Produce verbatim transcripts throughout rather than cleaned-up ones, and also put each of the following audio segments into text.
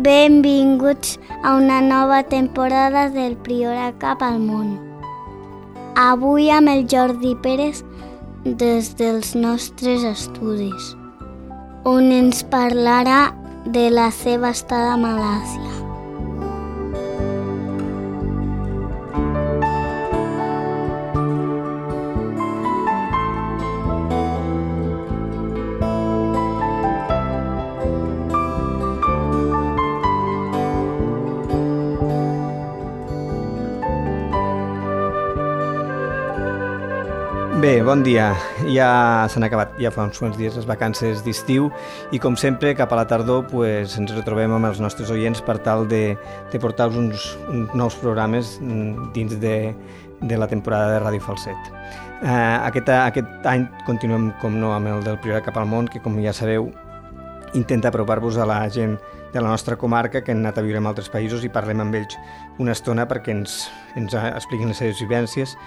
Benvinguts a una nova temporada del Priorat cap al món. Avui amb el Jordi Pérez des dels nostres estudis, on ens parlarà de la seva estada a Malàisia. Bé, bon dia. Ja s'han acabat, ja fa uns quants dies les vacances d'estiu i com sempre cap a la tardor pues, ens retrobem amb els nostres oients per tal de, de portar-vos uns, uns nous programes dins de, de la temporada de Ràdio Falset. Eh, aquest, aquest any continuem com no amb el del Priorat cap al món, que com ja sabeu intenta apropar-vos a la gent de la nostra comarca que han anat a viure en altres països i parlem amb ells una estona perquè ens, ens expliquin les seves vivències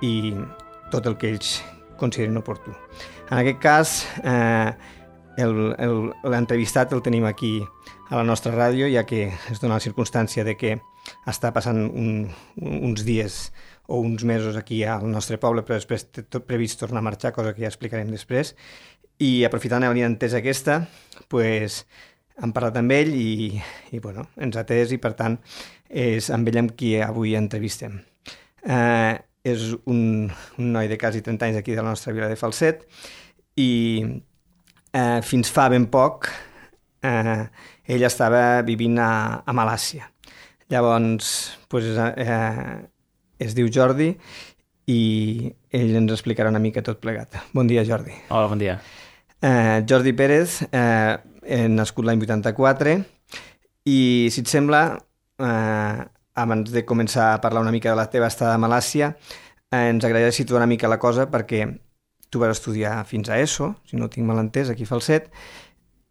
i tot el que ells consideren oportú. En aquest cas, eh, l'entrevistat el tenim aquí a la nostra ràdio, ja que es dona la circumstància de que està passant un, uns dies o uns mesos aquí al nostre poble, però després té tot previst tornar a marxar, cosa que ja explicarem després. I aprofitant la entesa aquesta, pues, hem parlat amb ell i, i bueno, ens ha atès i, per tant, és amb ell amb qui avui entrevistem. Eh, és un, un noi de quasi trenta anys aquí de la nostra vila de Falset i eh, fins fa ben poc eh, ell estava vivint a, a Malàisia. Llavors pues, eh, es diu Jordi i ell ens explicarà una mica tot plegat. Bon dia, Jordi. Hola, bon dia. Eh, Jordi Pérez, eh, he nascut l'any vuitanta-quatre i, si et sembla, eh, abans de començar a parlar una mica de la teva estada a Malàisia, eh, ens agradaria situar una mica la cosa perquè tu vas estudiar fins a ESO, si no ho tinc mal entès, aquí a Falset,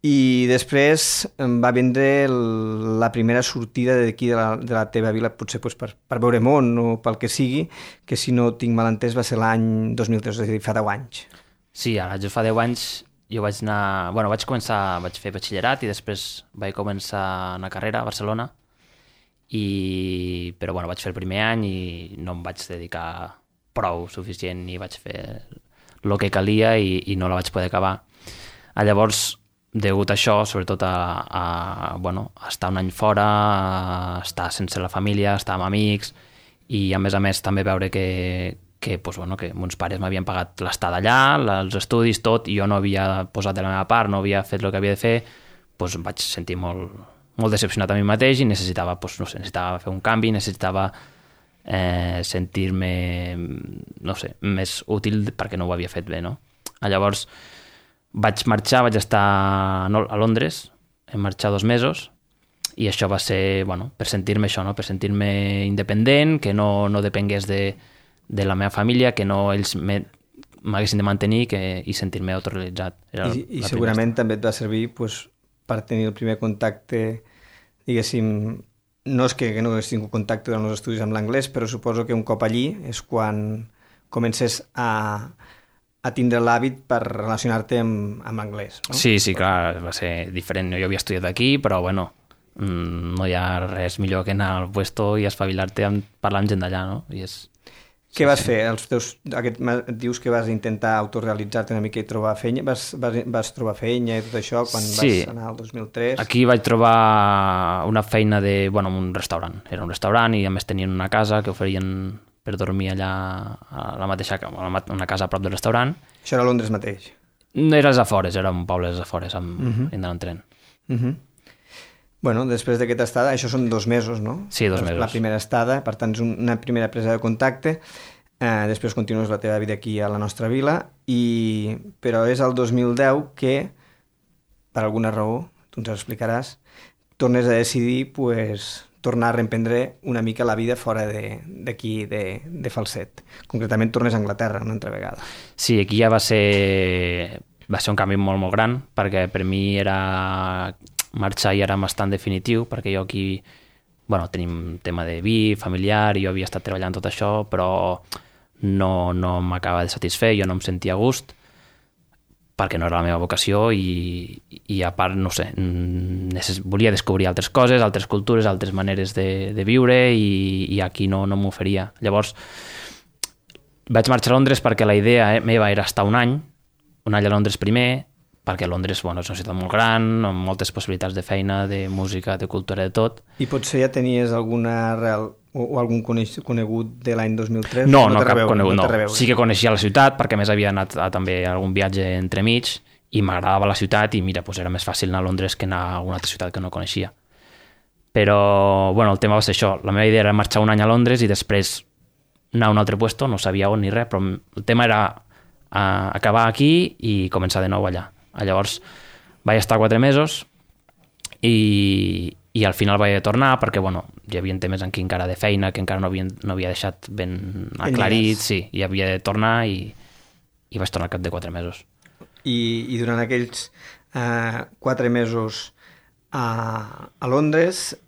i després va vindre la primera sortida d'aquí de, la, de la teva vila, potser pues, per, per veure món o pel que sigui, que si no ho tinc mal entès va ser l'any dos mil tres, és a dir, fa deu anys. Sí, ara jo fa deu anys jo vaig anar... Bueno, vaig començar, vaig fer batxillerat i després vaig començar una carrera a Barcelona. I, però bueno, vaig fer el primer any i no em vaig dedicar prou suficient i vaig fer el que calia i, i no la vaig poder acabar. A llavors, degut a això, sobretot a, a, bueno, a estar un any fora, a estar sense la família, estar amb amics i a més a més també veure que, que, pues, bueno, que mons pares m'havien pagat l'estada allà, els estudis, tot, i jo no havia posat de la meva part, no havia fet el que havia de fer, doncs em vaig sentir molt... molt decepcionat a mi mateix i necessitava, doncs, no sé, necessitava fer un canvi, necessitava eh, sentir-me, no sé, més útil perquè no ho havia fet bé, no? Llavors vaig marxar, vaig estar a Londres, em marxar dos mesos i això va ser, bueno, per sentir-me això, no? Per sentir-me independent, que no, no depengués de, de la meva família, que no ells m'haguessin de mantenir que, i sentir-me autorrealitzat. Era I, i segurament també et va servir pues, per tenir el primer contacte, diguéssim, no és que, que no hagués tingut contacte durant els estudis amb l'anglès, però suposo que un cop allí és quan comences a, a tindre l'hàbit per relacionar-te amb, amb l'anglès, no? Sí, sí, clar, va ser diferent. Jo havia estudiat aquí, però bueno, no hi ha res millor que anar al puesto i espavilar-te parlant amb gent d'allà, no? I és... Què vas fer? Els teus, aquest, dius que vas intentar autorrealitzar-te una mica i trobar feina. Vas, vas, vas trobar feina i tot això quan sí. Vas anar al dos mil tres? Aquí vaig trobar una feina de, bueno, en un restaurant. Era un restaurant i a més tenien una casa que oferien per dormir allà a la mateixa, a una casa a prop del restaurant. Això era a Londres mateix? Era als afores, era un poble als afores, amb, uh -huh. anant en tren. Uh -huh. Bueno, després d'aquesta estada, això són dos mesos, no? Sí, dos mesos. La primera estada, per tant, és una primera presa de contacte. Eh, després continues la teva vida aquí a la nostra vila, i... però és el dos mil deu que, per alguna raó, tu ens ho explicaràs, tornes a decidir pues, tornar a reemprendre una mica la vida fora d'aquí, de, de, de Falset. Concretament, tornes a Anglaterra una altra vegada. Sí, aquí ja va ser, va ser un canvi molt, molt gran, perquè per mi era... marxar ja era bastant definitiu, perquè jo aquí, bueno, tenim un tema de vi, familiar, i jo havia estat treballant tot això, però no, no m'acaba de satisfer, jo no em sentia a gust, perquè no era la meva vocació i, i a part, no sé, necess... volia descobrir altres coses, altres cultures, altres maneres de, de viure i, i aquí no, no m'oferia. Llavors, vaig marxar a Londres perquè la idea meva era estar un any, un any a Londres primer, perquè Londres, bueno, és una ciutat molt gran, amb moltes possibilitats de feina, de música, de cultura, de tot. I potser ja tenies alguna arrel o, o algun conegut de l'any dos mil tres? No, no, no cap rebeu, conegut, no. no. Sí que coneixia la ciutat, perquè més havia anat a, també a algun viatge entremig, i m'agradava la ciutat, i mira, doncs era més fàcil anar a Londres que anar a alguna altra ciutat que no coneixia. Però, bueno, el tema va ser això. La meva idea era marxar un any a Londres i després anar a un altre puesto, no sabia on ni res, però el tema era uh, acabar aquí i començar de nou allà. Llavors vaig estar quatre mesos i, i al final vaig tornar perquè bueno, hi havia temes aquí encara de feina que encara no havia, no havia deixat ben aclarit, sí, i havia de tornar i, i vaig tornar al cap de quatre mesos. I, i durant aquells eh, quatre mesos a, a Londres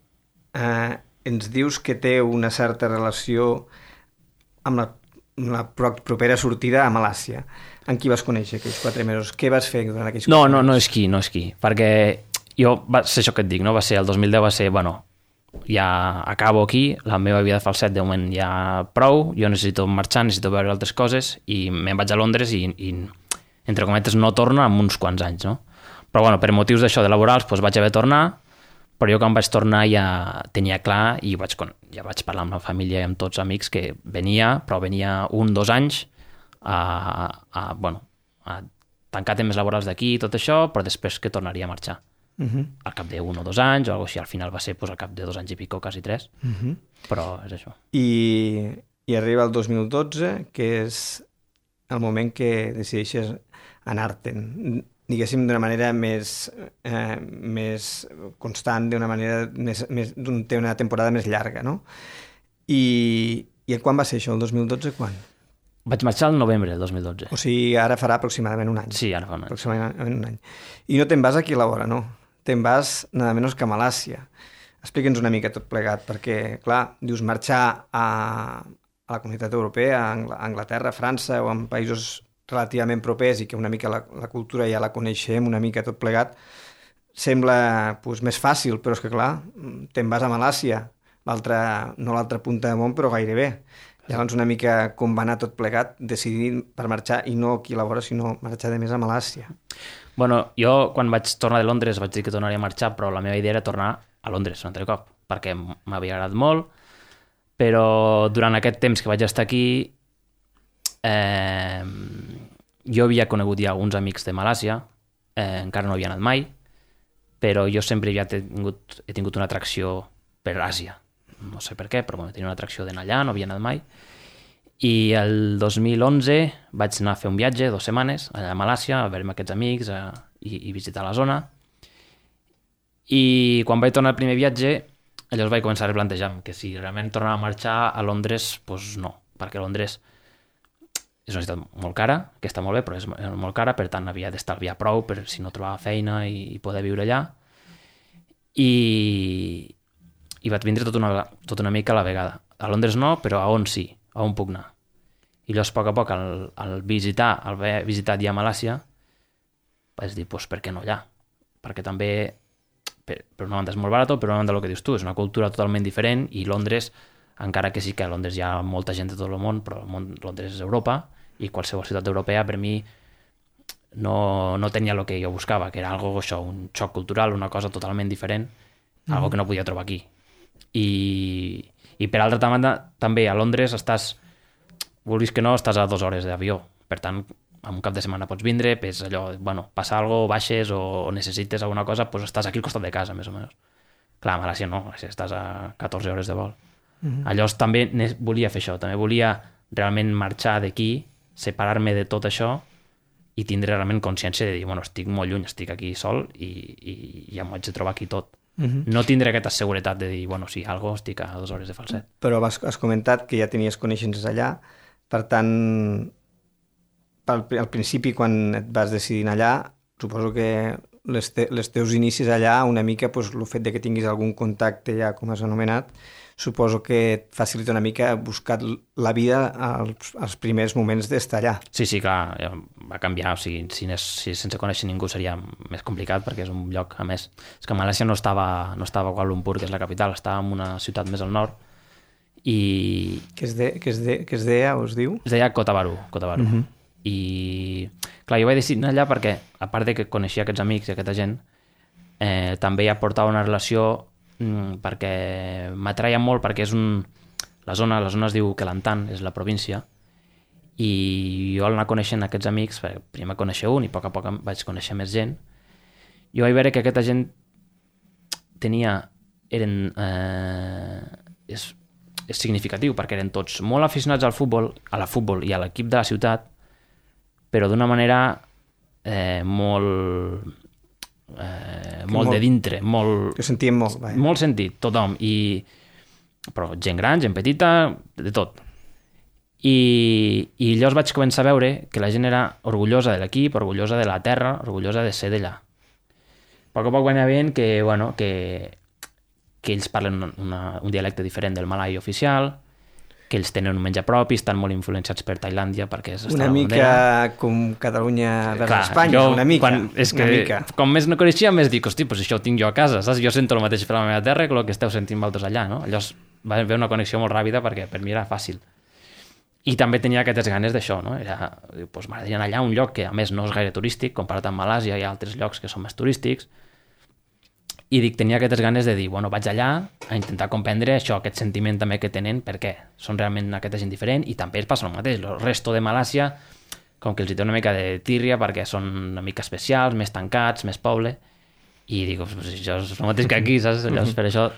eh, ens dius que té una certa relació amb la, amb la propera sortida a Malàisia. En qui vas conèixer aquells quatre mesos? Què vas fer durant aquells no, quatre no, mesos? No, és qui, no és qui, perquè jo, va ser això que et dic, no? Va ser el dos mil deu, va ser, bueno, ja acabo aquí, la meva vida de falset de moment ja prou, jo necessito marxar, necessito veure altres coses i me'n vaig a Londres i, i entre cometes no torno en uns quants anys, no? Però bueno, per motius d'això de laborals doncs vaig haver de tornar, però jo quan vaig tornar ja tenia clar i vaig, ja vaig parlar amb la família i amb tots amics que venia, però venia un, dos anys a, a, bueno, a tancar temes laborals d'aquí i tot això, però després que tornaria a marxar. Uh-huh. Al cap d'un o dos anys o alguna cosa així, al final va ser pues, al cap de dos anys i pico, quasi tres, uh-huh. Però és això. I, i arriba el dos mil dotze, que és el moment que decideixes anar-te'n, diguéssim, d'una manera més, eh, més constant, d'una manera més, més, té una temporada més llarga, no? I, i quan va ser això, el dos mil dotze, quan? Vaig marxar el novembre del dos mil dotze. O sigui, ara farà aproximadament un any. Sí, ara fa un any. Aproximadament un any. I no te'n vas aquí a la vora, no? Te'n vas nada menys que a Malàisia. Explica'ns una mica tot plegat, perquè, clar, dius marxar a, a la Comunitat Europea, a Anglaterra, a França o en països relativament propers i que una mica la, la cultura ja la coneixem, una mica tot plegat, sembla pues, més fàcil, però és que, clar, te'n vas a Malàisia, no l'altra punta del món, però gairebé. Llavors una mica com va anar tot plegat, decidir per marxar i no aquí a la vora, sinó marxar de més a Malàisia. Bueno, jo quan vaig tornar de Londres vaig dir que tornaria a marxar, però la meva idea era tornar a Londres un altre cop, perquè m'havia agradat molt, però durant aquest temps que vaig estar aquí eh, jo havia conegut ja alguns amics de Malàisia, eh, encara no havia anat mai, però jo sempre havia tingut, he tingut una atracció per Àsia. No sé per què, però bueno, tenia una atracció d'anar allà, no havia anat mai. I el dos mil onze vaig anar a fer un viatge, dues setmanes, allà a Malàisia, a veure amb aquests amics a, i, i visitar la zona. I quan vaig tornar al primer viatge, llavors vaig començar a replantejar-me que si realment tornava a marxar a Londres, doncs no, perquè Londres és una ciutat molt cara, que està molt bé, però és molt cara, per tant havia d'estalviar prou per si no trobava feina i, i poder viure allà. I... i vaig vindre tot una, tot una mica a la vegada. A Londres no, però a on sí, a on puc anar. I llavors, a poc a poc, al, al visitar, al haver visitat ja Malàisia, vaig dir, doncs, per què no allà? Perquè també, per, per una banda és molt barat, però per una banda el que dius tu, és una cultura totalment diferent, i Londres, encara que sí que a Londres hi ha molta gent de tot el món, però el món, Londres és Europa, i qualsevol ciutat europea, per mi, no, no tenia el que jo buscava, que era algo, això, un xoc cultural, una cosa totalment diferent, mm. algo que no podia trobar aquí. I, i per altra banda també a Londres estàs, vulguis que no, estàs a dues hores d'avió, per tant en un cap de setmana pots vindre, pues allò, bueno, passa alguna cosa, baixes o, o necessites alguna cosa, pues estàs aquí al costat de casa més o menys. Clar, a Malàisia no, estàs a catorze hores de vol. Mm-hmm. Llavors també volia fer això, també volia realment marxar d'aquí, separar-me de tot això i tindre realment consciència de dir, bueno, estic molt lluny, estic aquí sol i, i ja m'ho haig de trobar aquí tot. Uh-huh. No tindré aquesta seguretat de dir, bueno, sí, algo, estic a dues hores de falset. Però has, has comentat que ja tenies coneixences allà, per tant, al, al principi, quan et vas decidir allà, suposo que les, te, les teus inicis allà, una mica, pues, el fet de que tinguis algun contacte ja, com has anomenat, suposo que et facilita una mica buscar la vida als, als primers moments d'estar allà. Sí, sí, clar, va canviar. O sigui, si, és, si sense conèixer ningú seria més complicat perquè és un lloc, a més. És que Malàisia no estava, no estava a Kuala Lumpur, que és la capital, estava en una ciutat més al nord i... Que es, de, que es, de, que es deia o es diu? Es deia Kota Bharu, Kota Bharu. Uh-huh. I, clar, jo vaig decidir anar allà perquè, a part de que coneixia aquests amics i aquesta gent, eh, també ja portava una relació mm, perquè m'atreia molt, perquè és un... La zona, la zona es diu Kelantan, és la província, i jo al anar coneixent aquests amics, primer conèixer un i a poc a poc vaig conèixer més gent, jo vaig veure que aquesta gent tenia... eren... Eh, és, és significatiu, perquè eren tots molt aficionats al futbol, a la futbol i a l'equip de la ciutat, però d'una manera eh, molt... Eh, molt, molt de dintre, molt... Que sentíem molt, vaja. Molt sentit, tothom, i... però gent gran, gent petita, de tot. I, i llavors vaig començar a veure que la gent era orgullosa de l'equip, orgullosa de la terra, orgullosa de ser d'allà. A poc a poc va anar veient que, bueno, que, que ells parlen una, un dialecte diferent del malai oficial, que ells tenen un menjar propi, estan molt influenciats per Tailàndia perquè és una mica com Catalunya vers Espanya, jo, una mica. Quan, és que, mica. Com més no coneixia, més dic, hosti, pues això ho tinc jo a casa, saps? Jo sento el mateix per la meva terra que el que esteu sentint vosaltres allà, no? Llavors va haver una connexió molt ràpida perquè per mi era fàcil. I també tenia aquestes ganes d'això, no? Era, doncs m'agradaria anar allà a un lloc que a més no és gaire turístic, comparat amb Malàsia i altres llocs que són més turístics, i dic, tenia aquestes ganes de dir, bueno, vaig allà a intentar comprendre això, aquest sentiment també que tenen, per què són realment aquesta gent diferent, i també es passa el mateix, el resto de Malàsia, com que els hi té una mica de tírria perquè són una mica especials, més tancats, més poble, i dic, pues, això és el mateix que aquí, saps? Llavors, per això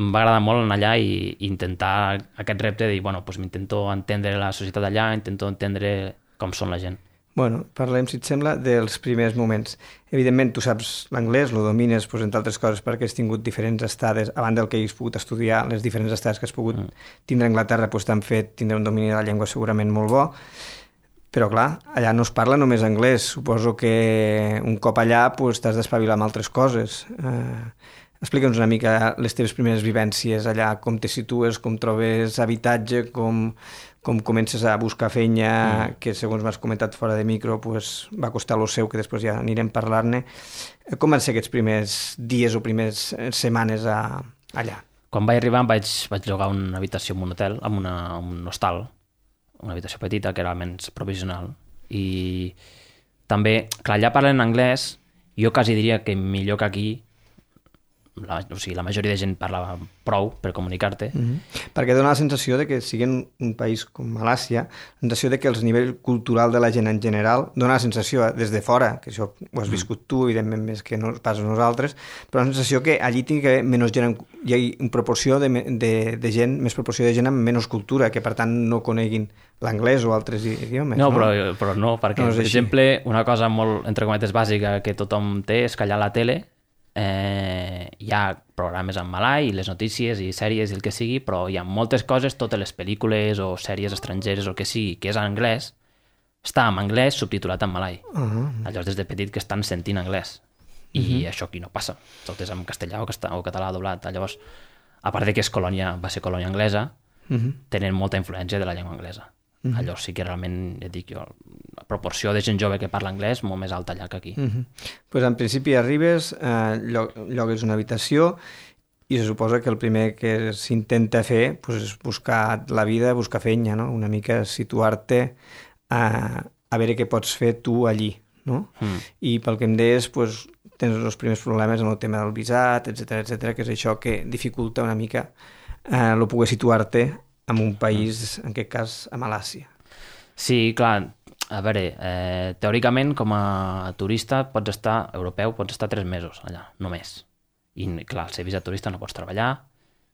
em va agradar molt anar allà i, i intentar aquest repte de dir, bueno, pues m'intento entendre la societat allà, intento entendre com són la gent. Bueno, parlem, si et sembla, dels primers moments. Evidentment, tu saps l'anglès, lo domines, pues, entre altres coses, perquè has tingut diferents estades, a banda del que has pogut estudiar, les diferents estades que has pogut mm. tindre a Anglaterra, pues, t'han fet tindre un domini de la llengua segurament molt bo, però clar, allà no es parla només anglès. Suposo que un cop allà pues, t'has d'espavilar amb altres coses. Eh, Explica'ns una mica les teves primeres vivències allà, com te situes, com trobes habitatge, com, com comences a buscar feina, mm. que segons m'has comentat fora de micro pues, va costar lo seu, que després ja anirem a parlar-ne. Com van ser aquests primers dies o primers setmanes a, allà? Quan vaig arribar vaig, vaig llogar una habitació en un hotel, en una, un hostal, una habitació petita que era almenys provisional. I també, clar, allà parlen anglès, jo quasi diria que millor que aquí. La, o sigui, la majoria de gent parlava prou per comunicar-te. Mm-hmm. Perquè dona la sensació de que sigui un país com Malàisia, la sensació de que el nivell cultural de la gent en general dona la sensació des de fora, que això ho has viscut tu, evidentment més que no pas nosaltres, però la sensació que allí tingui que haver menys gent, hi ha una proporció de, de, de gent, més proporció de gent amb menys cultura, que per tant no coneguin l'anglès o altres idiomes. No, no? Però, però no, perquè, no per exemple, una cosa molt, entre cometes, bàsica que tothom té és que allà a la tele Eh, hi ha programes en malai i les notícies i sèries i el que sigui, però hi ha moltes coses, totes les pel·lícules o sèries estrangeres o el que sigui, que és en anglès, està en anglès subtitulat en malai. Uh-huh. Llavors des de petit que estan sentint anglès i uh-huh. això aquí no passa, tot és en castellà o, casta, o català doblat. Llavors, a part de que és colònia, va ser colònia anglesa, uh-huh. tenen molta influència de la llengua anglesa. Uh-huh. Llavors sí que realment, ja dic jo, la proporció de gent jove que parla anglès molt més alta allà que aquí. Uh-huh. Pues en principi arribes, eh, llogues una habitació i se suposa que el primer que s'intenta fer pues, és buscar la vida, buscar feina, no? Una mica situar-te a, a veure què pots fer tu allí, no? Mm. I pel que em deies, pues, tens els primers problemes en el tema del visat, etcètera, etcètera, que és això que dificulta una mica eh, el poder situar-te en un país, en aquest cas, a Malàisia. Sí, clar, a veure, eh, teòricament, com a turista, pots estar, europeu, pots estar tres mesos allà, només. I, clar, al ser visat turista no pots treballar,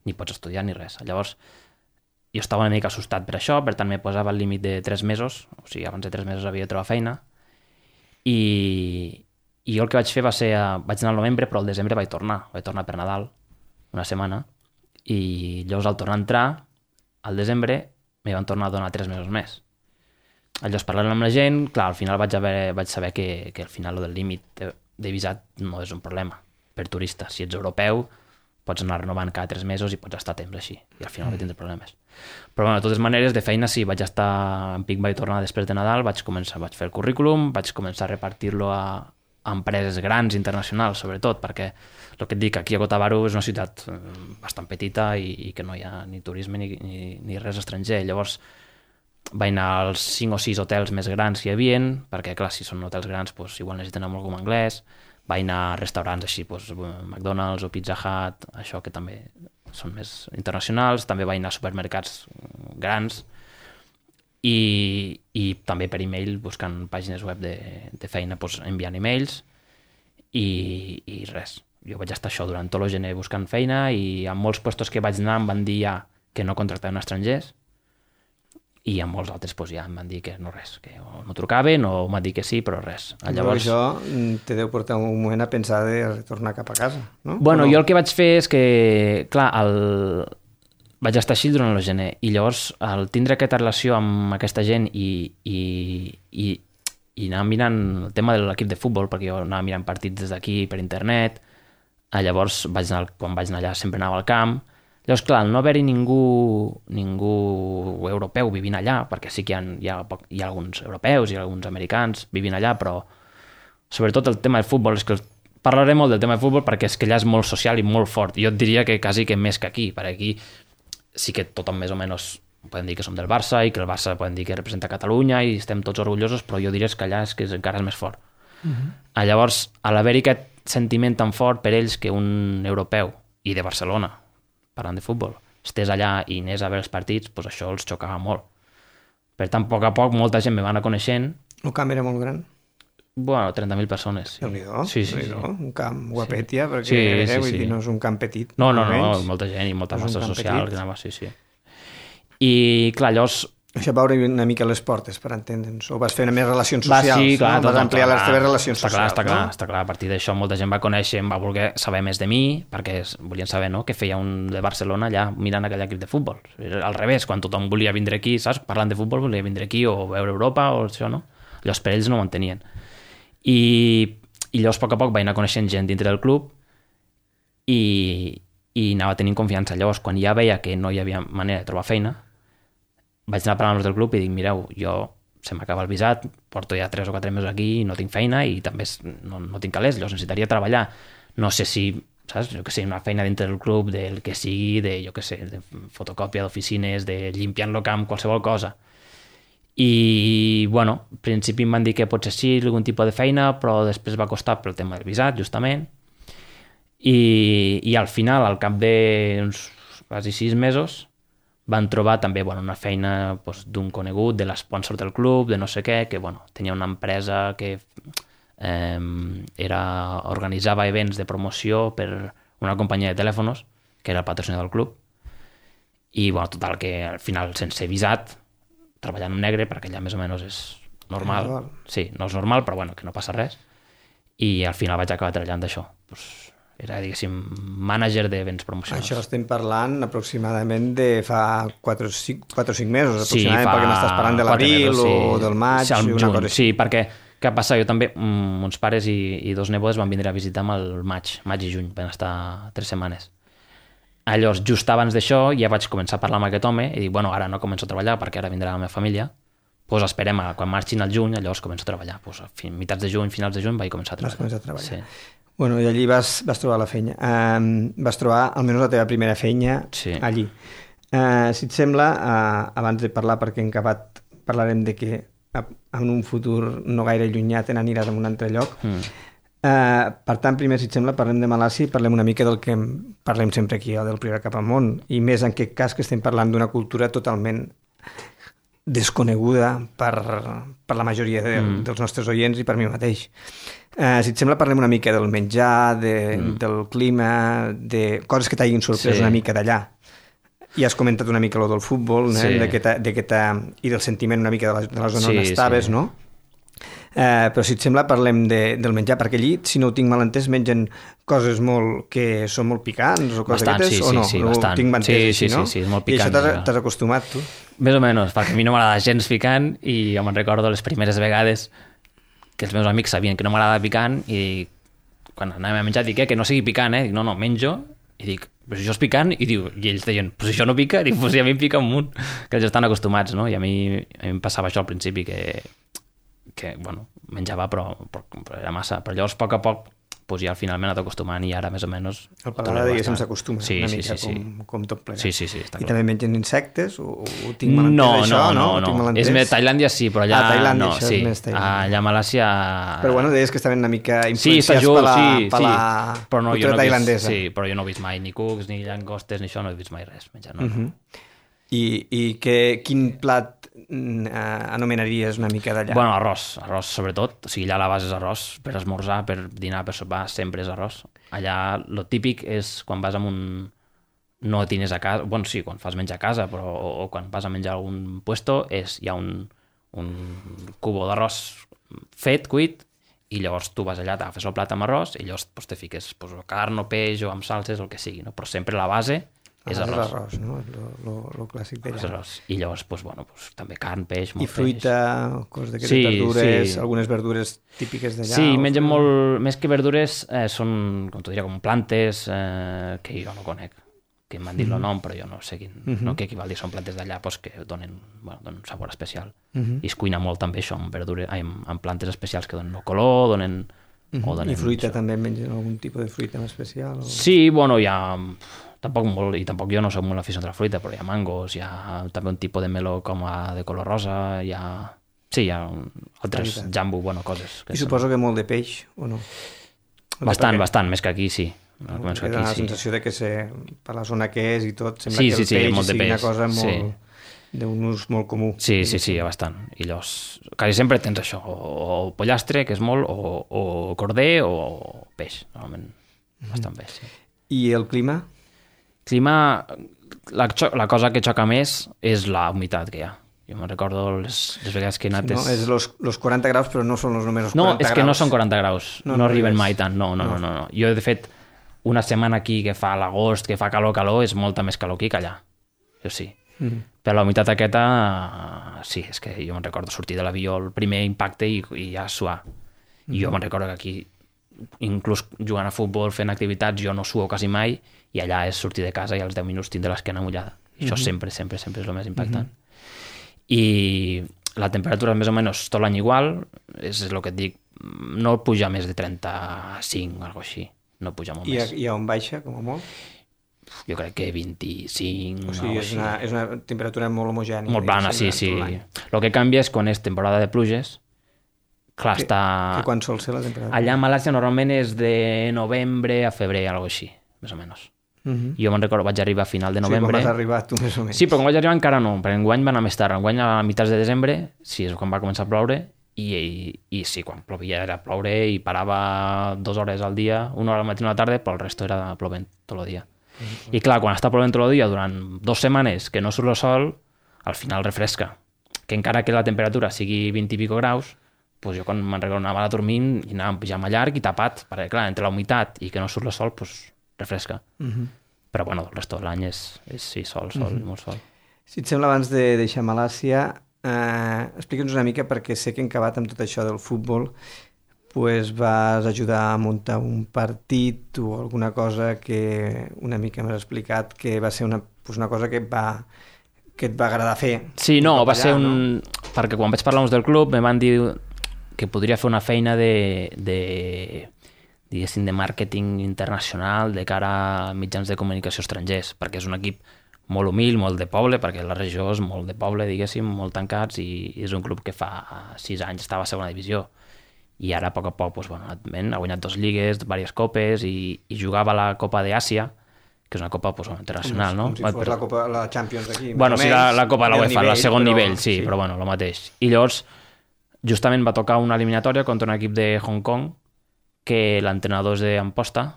ni pots estudiar, ni res. Llavors, jo estava una mica assustat per això, per tant, me posava el límit de tres mesos, o sigui, abans de tres mesos havia de trobar feina, i, i jo el que vaig fer va ser, vaig anar al novembre, però al desembre vaig tornar, vaig tornar per Nadal, una setmana, i llavors al tornar a entrar, al desembre, m'hi van tornar a donar tres mesos més. Llavors, parlant amb la gent, clar, al final vaig, haver, vaig saber que, que al final del límit de, de visat no és un problema per turista. Si ets europeu, pots anar renovant cada tres mesos i pots estar temps així, i al final no tindré problemes. Però bueno, de totes maneres, de feina sí, vaig estar en Pic, vaig tornar després de Nadal, vaig començar, vaig fer el currículum, vaig començar a repartir-lo a, a empreses grans, internacionals, sobretot, perquè el que et dic, aquí a Gotavaru és una ciutat bastant petita i, i que no hi ha ni turisme ni, ni, ni res estranger. Llavors vaig anar als cinc o sis hotels més grans que hi havia, perquè clar, si són hotels grans doncs, igual necessiten amb algú anglès. Vaig anar a restaurants així, doncs, McDonald's o Pizza Hut, això que també són més internacionals. També vaig anar a supermercats grans i, i també per e-mail, buscant pàgines web de, de feina, doncs, enviant e-mails i, i res. Jo vaig estar això durant tot el gener buscant feina i en molts puestos que vaig anar em van dir ja que no contractaven estrangers i en molts altres doncs, ja em van dir que no res, que o no trucaven o m'han dit que sí, però res. Llavors... Però això te deu portar un moment a pensar de retornar cap a casa, no? Bueno, no? Jo el que vaig fer és que, clar, el... vaig estar així durant el gener i llavors al tindre aquesta relació amb aquesta gent i, i, i, i anar mirant el tema de l'equip de futbol, perquè jo anava mirant partits des d'aquí per internet, llavors vaig anar, quan vaig anar allà sempre anava al camp. Llavors, clar, no haver-hi ningú, ningú europeu vivint allà, perquè sí que hi ha, hi, ha, hi ha alguns europeus i alguns americans vivint allà, però sobretot el tema del futbol, és que parlaré molt del tema del futbol perquè és que allà és molt social i molt fort. Jo et diria que quasi que més que aquí, perquè aquí sí que tothom més o menys podem dir que som del Barça i que el Barça podem dir que representa Catalunya i estem tots orgullosos, però jo diria que allà és que encara és més fort. Uh-huh. Llavors, a l'haver-hi aquest sentiment tan fort per ells que un europeu i de Barcelona, parlant de futbol, estés allà i anés a veure els partits, doncs això els xocava molt. Per tant, a poc a poc, molta gent me va anar coneixent. El camp era molt gran? Bueno, trenta mil persones. Sí. Déu-n'hi-do, sí, sí, sí. Un camp guapet ja, perquè sí, eh, sí, vull sí. dir, no és un camp petit. No, no, no, no molta gent i molta massa social. Que anava, sí, sí. I, clar, llavors... Això va obrir una mica les portes, per entendre'ns. O vas fer més relacions socials, va, sí, clar, no? Vas tot, ampliar clar, les teves relacions està socials. Clar, està no? clar, està clar. A partir d'això molta gent va conèixer, em va voler saber més de mi, perquè volien saber, no?, què feia un de Barcelona allà mirant aquell equip de futbol. Al revés, quan tothom volia vindre aquí, saps? Parlant de futbol, volia vindre aquí o veure Europa o això, no? Llavors per ells no ho entenien. I, i llavors a poc a poc vaig anar coneixent gent dintre del club i, i anava tenint confiança. Llavors, quan ja veia que no hi havia manera de trobar feina, vaig anar parlant amb els del club i dic, mireu, jo se m'acaba el visat, porto ja tres o quatre mesos aquí i no tinc feina i també no, no tinc calés, llavors necessitaria treballar. No sé si, saps, jo que sé, una feina dintre del club, del que sigui, de, jo que sé, de fotocòpia d'oficines, de limpiant el camp, qualsevol cosa. I, bueno, al principi em van dir que potser sí, algun tipus de feina, però després va costar pel tema del visat, justament. I, i al final, al cap d'uns quasi sis mesos, van trobar també bueno, una feina doncs, d'un conegut, de l'esponsor del club, de no sé què, que bueno, tenia una empresa que eh, era, organitzava events de promoció per una companyia de telèfons, que era el patrocinador del club, i bueno, total, que al final, sense visat, treballant en negre, perquè allà més o menys és normal. Normal. Sí, no és normal, però bueno, que no passa res. I al final vaig acabar treballant d'això. Pues, era, diguéssim, mànager d'events promocionals. Això estem parlant aproximadament de fa quatre o cinc mesos, sí, aproximadament, fa... perquè m'estàs parlant de l'abril sí. o del maig, sí, una juny, cosa així. Sí, perquè què passa? Jo també, mons pares i, i dos nebodes van vindre a visitar-me el maig, maig i juny, van estar tres setmanes. Llavors, just abans d'això, ja vaig començar a parlar amb aquest home i dic, bueno, ara no començo a treballar perquè ara vindrà la meva família, doncs esperem a quan marxin al juny, llavors començo a treballar. Pues, a fin, mitats de juny, finals de juny, vaig començar a treballar. Vas començar a treballar. Sí. Bueno, i allí vas, vas trobar la feina. Um, vas trobar almenys la teva primera feina sí. allí. Uh, si et sembla, uh, abans de parlar, perquè en acabat parlarem de que en un futur no gaire llunyà te n'aniràs a un altre lloc. Mm. Uh, per tant, primer, si et sembla, parlem de Malàcia i parlem una mica del que parlem sempre aquí, del Priorat cap amunt, i més en aquest cas que estem parlant d'una cultura totalment desconeguda per, per la majoria de, mm. dels nostres oients i per mi mateix. Uh, si et sembla, parlem una mica del menjar, de, mm. del clima, de coses que t'hagin sorprès sí. una mica d'allà. I has comentat una mica lo del futbol, sí. eh? de que de que i del sentiment una mica de la, de la zona sí, on estaves, sí. no? Uh, però si et sembla parlem de, del menjar, perquè allí, si no ho tinc mal entès, mengen coses molt que són molt picants o coses bastant, d'aquestes, sí, o no? Sí, sí, ho bastant. tinc entès sí, així, sí, no? Sí, sí, és molt picant. I això t'has acostumat, tu? Més o menys, perquè a mi no m'agrada gens picant i jo me'n recordo les primeres vegades que els meus amics sabien que no m'agrada picant i quan anàvem a menjar dic eh, que no sigui picant, eh? Dic, no, no, menjo i dic, però això és picant, i diu, i ells deien, però si això no pica, diu, pues si a mi em pica un munt, que ells estan acostumats, no? I a mi, a mi em passava això al principi, que, que bueno, menjava, però, però, però era massa. Però llavors, a poc a poc, pues ja al final m'he anat acostumant i ara més o menys... El paladar, diguéssim, s'acostuma sí, una sí, mica sí, sí. com, com tot plegat. Sí, sí, sí, està I clar. també mengen insectes? O, o tinc mal entès no, això? No, no, no. no. És més, Tailàndia sí, però allà... Ah, Tailàndia, no, això sí. és més Tailàndia. Allà a Malàsia... Però bueno, deies que estaven una mica sí, influenciats just, per la, sí, per la sí. Però no, cultura jo no tailandesa. Vist, sí, però jo no he vist mai ni cucs, ni llangostes, ni això, no he vist mai res. Menjar, no, Uh -huh. no. I, i que, quin plat eh, anomenaries una mica d'allà? Bueno, arròs, arròs sobretot. O sigui, allà la base és arròs. Per esmorzar, per dinar, per sopar, sempre és arròs. Allà lo típic és quan vas a un... no tines a casa... Bueno, sí, quan fas menjar a casa, però o, o quan vas a menjar a algun puesto, és, hi ha un, un cubo d'arròs fet, cuit, i llavors tu vas allà, t'agafes el plat amb arròs i llavors pues, te fiques pues, carn o peix o amb salses o el que sigui, no? Però sempre la base és ah, arròs. És arròs, no? Lo, lo, lo clàssic d'allà. És arròs. I llavors, pues, bueno, pues, també carn, peix, molt I fruita, peix. coses d'aquestes sí, verdures, sí. algunes verdures típiques d'allà? Sí, o... mengen molt... Més que verdures, eh, són, com t'ho diria, com plantes eh, que jo no conec, que m'han dit mm -hmm. el nom, però jo no sé quin, mm -hmm. no què equival dir, són plantes d'allà pues, que donen, bueno, donen un sabor especial. Mm -hmm. I es cuina molt també això, amb, verdures, ai, amb, amb plantes especials que donen el color, donen... Mm -hmm. o donen I fruita això. també mengen algun tipus de fruita en especial? O... Sí, bueno, hi ha... Tampoc molt, i tampoc jo no soc molt aficionat a la fruita, però hi ha mangos, hi ha també un tipus de meló com a de color rosa, hi ha... Sí, hi ha un, altres jambu, bueno, coses. Que I suposo són... que molt de peix, o no? O bastant, perquè... bastant, més que aquí, sí. No, més que aquí, dona la sí. sensació de que se, per la zona que és i tot, sembla sí, que sí, el sí, peix molt de sigui peix. una cosa molt... Sí. d'un ús molt comú. Sí, sí, sí, bastant. I llavors, quasi sempre tens això, o, o pollastre, que és molt, o, o corder, o peix, normalment, bastant peix, sí. I el clima? Clima, la, la cosa que xoca més és la humitat que hi ha. Jo me'n recordo les, les vegades que he anat... Sí, no? És los, los quaranta graus, però no són els només els no, quaranta graus. No, és que no són quaranta graus, no, no, no arriben mai tant, no, no, no, no. no, no. Jo, de fet, una setmana aquí que fa l'agost, que fa calor, calor, és molta més calor aquí que allà. Jo sí. Mm. Però la humitat aquesta, sí, és que jo me'n recordo sortir de l'avió, el primer impacte i, i ja suar. I mm. jo me'n recordo que aquí, inclús jugant a futbol, fent activitats, jo no suo quasi mai, i allà és sortir de casa i als deu minuts tindre l'esquena mullada. I això mm -hmm. sempre, sempre, sempre és el més impactant. Mm -hmm. I la temperatura més o menys tot l'any igual, és el que et dic, no puja més de trenta-cinc, alguna així, no puja molt I més. A, I a on baixa, com a molt? Jo crec que vint-i-cinc... O sigui, és una, és una temperatura molt homogènia. Molt plana, sí, sí. El que canvia és quan és temporada de pluges, clar, que, està... Que quan sol ser la temperatura? Allà a Malàsia normalment és de novembre a febrer, alguna així, més o menys. Uh -huh. Jo me'n recordo, vaig arribar a final de novembre. Sí, quan vas arribar tu, més o menys. Sí, però quan vaig arribar encara no, perquè enguany va anar més tard. Enguany a mitjans de desembre, sí, és quan va començar a ploure, i, i, i sí, quan plovia era ploure i parava dues hores al dia, una hora al matí i una a la tarda, però el resto era plovent tot el dia. Uh -huh. I clar, quan està plovent tot el dia durant dues setmanes que no surt el sol, al final refresca. Que encara que la temperatura sigui vint i pico graus, pues jo quan me'n recordo anava a dormir i anava amb pijama llarg i tapat, perquè clar, entre la humitat i que no surt el sol, pues refresca. Uh -huh. Però bueno, el resto de l'any és, és sí, sol, sol, uh -huh. molt sol. Si et sembla, abans de deixar Malàsia, eh, explica'ns una mica, perquè sé que en acabat amb tot això del futbol pues vas ajudar a muntar un partit o alguna cosa que una mica m'has explicat que va ser una, pues una cosa que et va, que et va agradar fer. Sí, no, va allà, ser un... No? Perquè quan vaig parlar del club me van dir que podria fer una feina de... de diguéssim, de màrqueting internacional de cara a mitjans de comunicació estrangers, perquè és un equip molt humil, molt de poble, perquè la regió és molt de poble, diguéssim, molt tancats, i és un club que fa sis anys estava a segona divisió, i ara a poc a poc doncs, bueno, ha guanyat dos lligues, diverses copes, i, i jugava a la Copa d'Àsia, que és una copa pues, internacional, com, no? Com si fos la Copa, la Champions d'aquí. Bueno, sí, la, la Copa de la UEFA, el segon però, nivell, sí, sí, però bueno, el mateix. I llavors, justament va tocar una eliminatòria contra un equip de Hong Kong, que l'entrenador és d'Amposta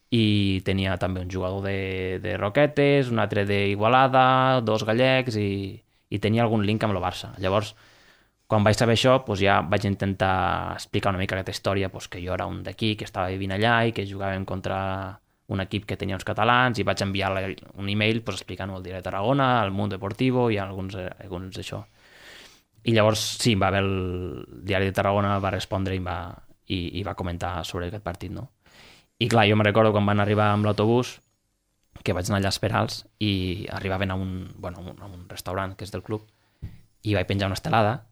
i tenia també un jugador de, de Roquetes, un altre d'Igualada, dos gallecs i, i tenia algun link amb el Barça. Llavors, quan vaig saber això, doncs ja vaig intentar explicar una mica aquesta història, doncs que jo era un d'aquí, que estava vivint allà i que jugàvem contra un equip que tenia uns catalans, i vaig enviar un e-mail doncs, explicant-ho al Diari de Tarragona, al Mundo Deportivo i alguns, alguns d'això. I llavors, sí, va haver el Diari de Tarragona, va respondre i va... I, i va comentar sobre aquest partit, no? I clar, jo me recordo quan van arribar amb l'autobús que vaig anar allà a esperar-los i arribaven a un, bueno, a un restaurant que és del club i vaig penjar una estelada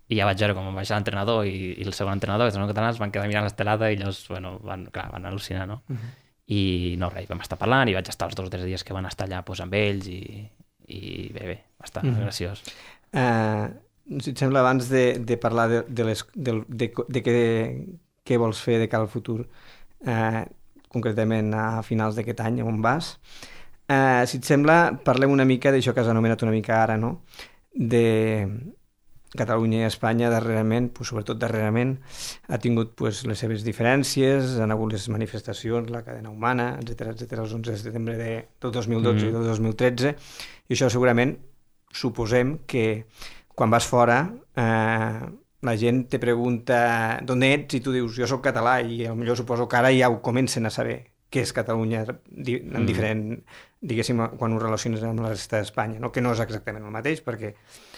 i ja vaig veure com vaig l'entrenador i, i el segon entrenador, que són catalans, van quedar mirant l'estelada i llavors, bueno, van, clar, van al·lucinar, no? Uh -huh. I no, res, vam estar parlant i vaig estar els dos o tres dies que van estar allà pues, amb ells i, i bé, bé, va estar uh -huh. graciós. Uh, si et sembla, abans de, de parlar de, de, les, de, de, de què, què vols fer de cara al futur, uh, concretament a finals d'aquest any, on vas, uh, si et sembla, parlem una mica d'això que has anomenat una mica ara, no?, de Catalunya i Espanya darrerament, pues, sobretot darrerament, ha tingut pues, les seves diferències, han hagut les manifestacions, la cadena humana, etcètera, etcètera, els onze de setembre de, del dos mil dotze mm. i del dos mil tretze, i això segurament suposem que quan vas fora eh, la gent te pregunta d'on ets i tu dius jo sóc català i potser suposo que ara ja ho comencen a saber què és Catalunya en mm. diferent, diguéssim, quan ho relaciones amb la resta d'Espanya, no? Que no és exactament el mateix, perquè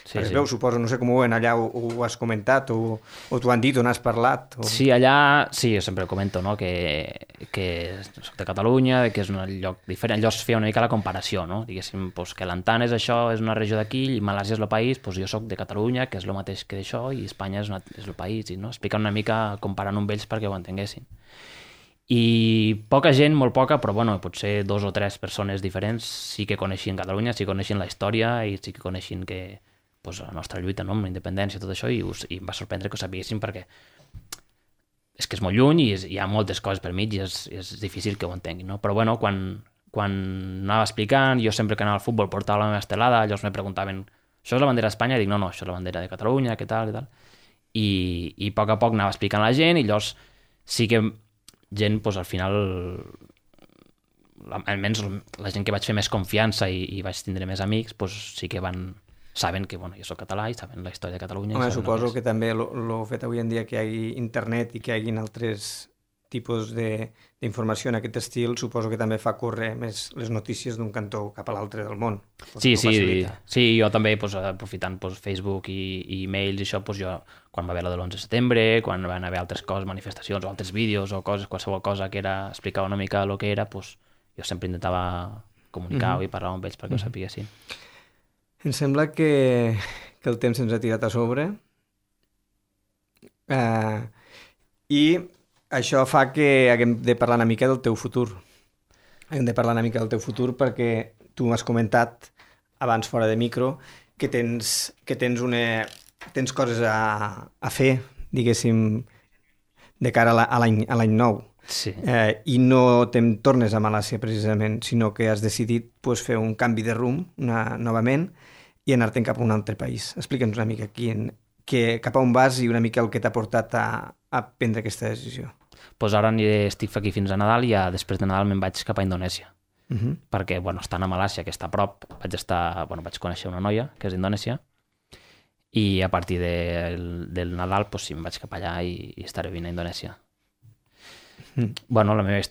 sí, es sí. veu, suposo, no sé com ho veuen allà, ho, ho has comentat, o, o t'ho han dit, o n'has parlat. O... Sí, allà, sí, jo sempre ho comento, no? que, que soc de Catalunya, que és un lloc diferent, allò es feia una mica la comparació, no? Diguéssim, pues, que l'Antan és això, és una regió d'aquí, i Malàsia és el país, pues, jo soc de Catalunya, que és el mateix que d'això, i Espanya és, una, és el país, i no? Explicar una mica comparant amb ells perquè ho entenguessin. I poca gent, molt poca, però bueno, potser dos o tres persones diferents sí que coneixien Catalunya, sí que coneixien la història i sí que coneixien que pues, la nostra lluita, no? Amb la independència i tot això, i, us, i em va sorprendre que ho sapiguessin perquè és que és molt lluny i és, hi ha moltes coses per mig i és, és difícil que ho entenguin, no? Però bueno, quan, quan anava explicant, jo sempre que anava al futbol portava la meva estelada, llavors me preguntaven això és la bandera d'Espanya? I dic no, no, això és la bandera de Catalunya, què tal, i tal. I, i a poc a poc anava explicant a la gent i llavors sí que gent, doncs, al final, almenys la gent que vaig fer més confiança i, i vaig tindre més amics, doncs sí que van, saben que bueno, jo soc català i saben la història de Catalunya. Home, suposo que, que també el fet avui en dia que hi hagi internet i que hi hagi altres tipus d'informació en aquest estil, suposo que també fa córrer més les notícies d'un cantó cap a l'altre del món. Sí, sí, sí, jo també, doncs, aprofitant doncs, Facebook i, i e-mails i això, doncs, jo, quan va haver la de l'onze de setembre, quan van haver altres coses, manifestacions o altres vídeos o coses, qualsevol cosa que era, explicava una mica el que era, doncs, jo sempre intentava comunicar-ho mm-hmm. i parlar amb ells perquè mm-hmm. ho sapiguessin. Em sembla que, que el temps ens ha tirat a sobre uh, i això fa que haguem de parlar una mica del teu futur. Hem de parlar una mica del teu futur perquè tu m'has comentat abans fora de micro que tens, que tens, una, tens coses a, a fer, diguéssim, de cara a l'any nou. Sí. Eh, I no te'n tornes a Malàsia precisament, sinó que has decidit pues, fer un canvi de rumb una, novament i anar-te'n cap a un altre país. Explica'ns una mica quin, que, cap a on vas i una mica el que t'ha portat a, a prendre aquesta decisió. Pues ara aniré, estic aquí fins a Nadal i ja després de Nadal me'n vaig cap a Indonèsia. Uh-huh. Perquè, bueno, estant a Malàsia, que està a prop, vaig estar, bueno, vaig conèixer una noia que és d'Indonèsia i a partir del, del Nadal pues, sí, em vaig cap allà i, i estaré vint a Indonèsia. Uh-huh. Bueno, la meva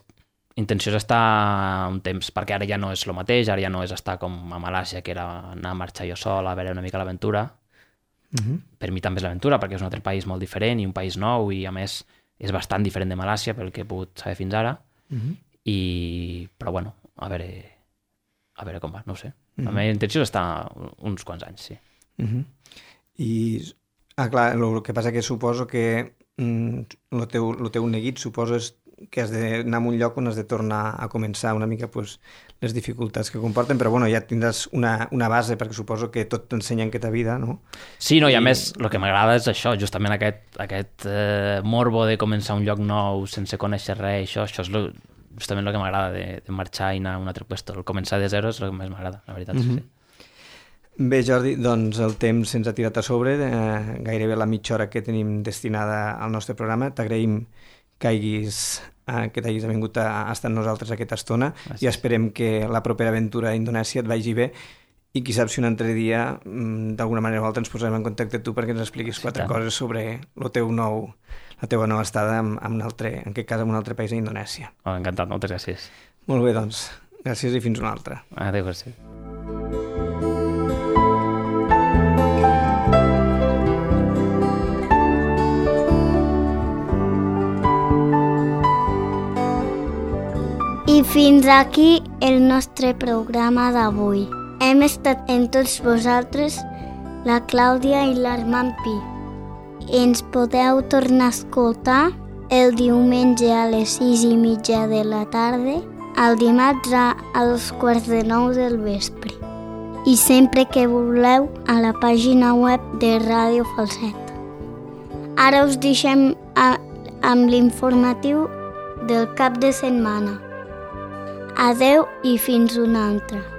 intenció és estar un temps, perquè ara ja no és el mateix, ara ja no és estar com a Malàsia, que era anar a marxar jo sol, a veure una mica l'aventura. Uh-huh. Per mi també és l'aventura, perquè és un altre país molt diferent i un país nou i a més és bastant diferent de Malàsia pel que he pogut saber fins ara. Uh-huh. I... però bueno, a veure a veure com va, no ho sé. Uh-huh. La meva intenció és estar uns quants anys, sí. Uh-huh. I, ah, clar, el que passa que suposo que mm, el teu, el teu neguit suposo és que has d'anar a un lloc on has de tornar a començar una mica pues, les dificultats que comporten, però bueno, ja tindràs una, una base perquè suposo que tot t'ensenya en aquesta vida, no? Sí, no, i a I... més el que m'agrada és això, justament aquest, aquest eh, morbo de començar un lloc nou sense conèixer res, això, això és lo, justament el que m'agrada de, de marxar i anar a un altre lloc. El començar de zero és el que més m'agrada, la veritat. Mm-hmm. Sí. Bé, Jordi, doncs el temps se'ns ha tirat a sobre, eh, gairebé la mitja hora que tenim destinada al nostre programa. T'agraïm que hagis, eh, que t'hagis vingut a, a estar amb nosaltres aquesta estona. Gràcies. I esperem que la propera aventura a Indonèsia et vagi bé i qui sap si un altre dia d'alguna manera o altra ens posarem en contacte amb tu perquè ens expliquis sí, quatre tant. coses sobre el teu nou, la teva nova estada en, en, un altre, en aquest cas en un altre país a Indonèsia. Oh, encantat, moltes gràcies. Molt bé, doncs. Gràcies i fins una altra. Adéu, gràcies. I fins aquí el nostre programa d'avui. Hem estat en tots vosaltres la Clàudia i l'Armand Pi. Ens podeu tornar a escoltar el diumenge a les sis i mitja de la tarda, el dimarts a, a dos quarts de nou del vespre. I sempre que voleu a la pàgina web de Ràdio Falset. Ara us deixem a, amb l'informatiu del cap de setmana. Adeu i fins una altra.